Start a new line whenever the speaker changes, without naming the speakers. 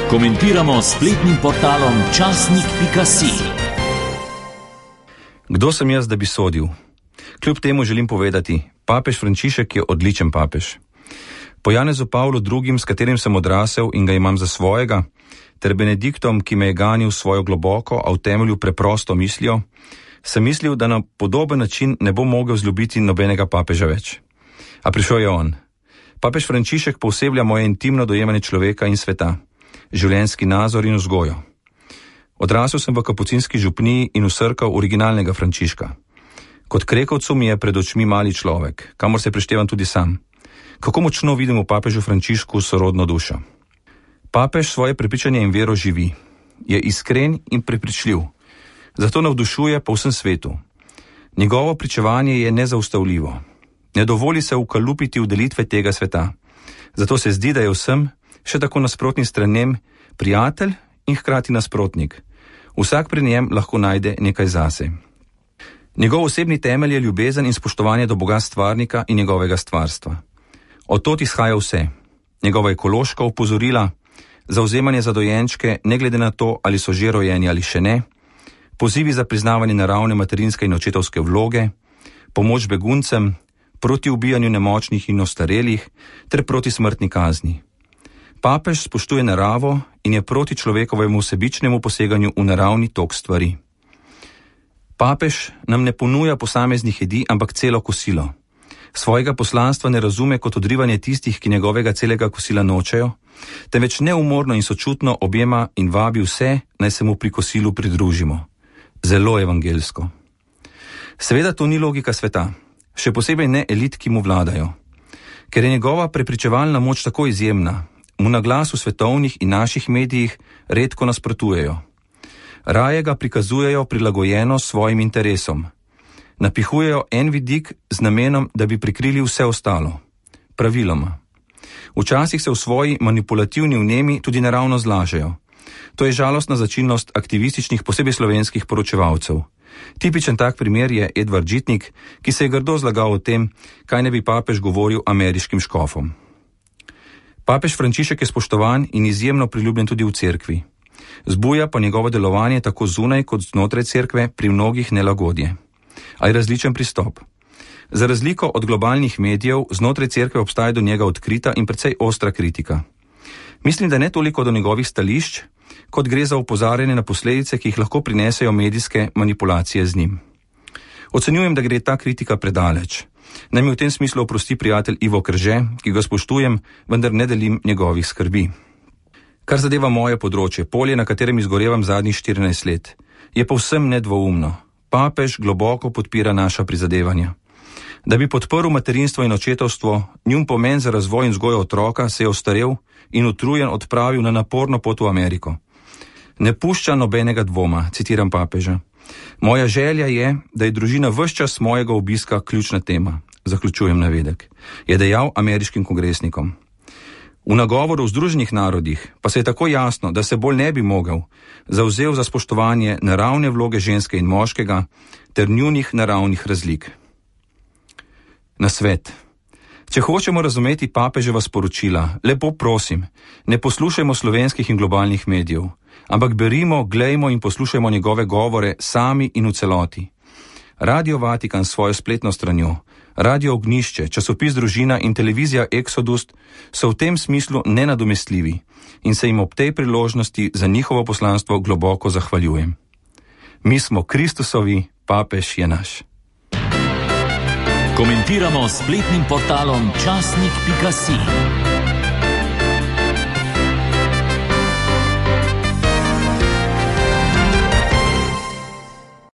Komentiramo s spletnim portalom časnik.si.
Kdo sem jaz, da bi sodil? Kljub temu želim povedati, papež Frančišek je odličen papež. Po Janezu Pavlu II., s katerim sem odrasel in ga imam za svojega, ter Benediktom, ki me je ganil svojo globoko, a v temelju preprosto mislijo, sem mislil, da na podoben način ne bom mogel zljubiti nobenega papeža več. A prišel je on. Papež Frančišek pooseblja moje intimno dojemanje človeka in sveta, življenjski nazor in vzgojo. Odrasel sem v kapucinski župniji in v cerkev originalnega Frančiška. Kot krekovcu mi je pred očmi mali človek, kamor se prištevam tudi sam. Kako močno vidim v papežu Frančišku sorodno dušo. Papež svoje prepričanje in vero živi. Je iskren in prepričljiv. Zato navdušuje po vsem svetu. Njegovo pričevanje je nezaustavljivo. Ne dovoli se ukalupiti v delitve tega sveta. Zato se zdi, da je vsem, še tako nasprotnim stranem, prijatelj in hkrati nasprotnik. Vsak pri njem lahko najde nekaj zase. Njegov osebni temelj je ljubezen in spoštovanje do Boga stvarnika in njegovega stvarstva. Od tod izhaja vse. Njegova ekološka opozorila, zavzemanje za dojenčke, ne glede na to, ali so že rojeni ali še ne, pozivi za priznavanje naravne materinske in očetovske vloge, pomoč beguncem, proti ubijanju nemočnih in ostarelih ter proti smrtni kazni. Papež spoštuje naravo in je proti človekovemu sebičnemu poseganju v naravni tok stvari. Papež nam ne ponuja posameznih jedi, ampak celo kosilo. Svojega poslanstva ne razume kot odrivanje tistih, ki njegovega celega kosila nočejo, temveč neumorno in sočutno objema in vabi vse, naj se mu pri kosilu pridružimo. Zelo evangelsko. Seveda to ni logika sveta, še posebej ne elit, ki mu vladajo. Ker je njegova prepričevalna moč tako izjemna, mu na glas v svetovnih in naših medijih redko nasprotujejo. Raje ga prikazujejo prilagojeno svojim interesom. Napihujejo en vidik z namenom, da bi prikrili vse ostalo. Praviloma. Včasih se v svoji manipulativni vnemi tudi naravno zlažejo. To je žalostna značilnost aktivističnih, posebej slovenskih poročevalcev. Tipičen tak primer je Edvard Žitnik, ki se je grdo zlagal o tem, kaj ne bi papež govoril ameriškim škofom. Papež Frančišek je spoštovan in izjemno priljubljen tudi v cerkvi. Zbuja pa njegovo delovanje tako zunaj kot znotraj cerkve pri mnogih nelagodje. A je različen pristop. Za razliko od globalnih medijev, znotraj cerkve obstaja do njega odkrita in precej ostra kritika. Mislim, da ne toliko do njegovih stališč, kot gre za opozarjanje na posledice, ki jih lahko prinesejo medijske manipulacije z njim. Ocenjujem, da gre ta kritika predaleč. Naj mi v tem smislu oprosti prijatelj Ivo Krže, ki ga spoštujem, vendar ne delim njegovih skrbi. Kar zadeva moje področje, polje, na katerem izgorevam zadnjih 14 let, je povsem nedvoumno. Papež globoko podpira naša prizadevanja. Da bi podprl materinstvo in očetovstvo, njun pomen za razvoj in vzgojo otroka se je ostarel in utrujen odpravil na naporno pot v Ameriko. Ne pušča nobenega dvoma, citiram papeža. Moja želja je, da je družina ves čas mojega obiska ključna tema, zaključujem navedek, je dejal ameriškim kongresnikom. V nagovoru v Združenih narodih pa se je tako jasno, da se bolj ne bi mogel, zavzel za spoštovanje naravne vloge ženske in moškega ter njunih naravnih razlik. Nasvet. Če hočemo razumeti papeževa sporočila, lepo prosim, ne poslušajmo slovenskih in globalnih medijev, ampak berimo, glejmo in poslušajmo njegove govore sami in v celoti. Radio Vatikan s svojo spletno stranjo, Radio Ognjišče, časopis Družina in televizija Exodus so v tem smislu nenadomestljivi in se jim ob tej priložnosti za njihovo poslanstvo globoko zahvaljujem. Mi smo Kristusovi, papež je naš.
Komentiramo s spletnim portalom časnik.si.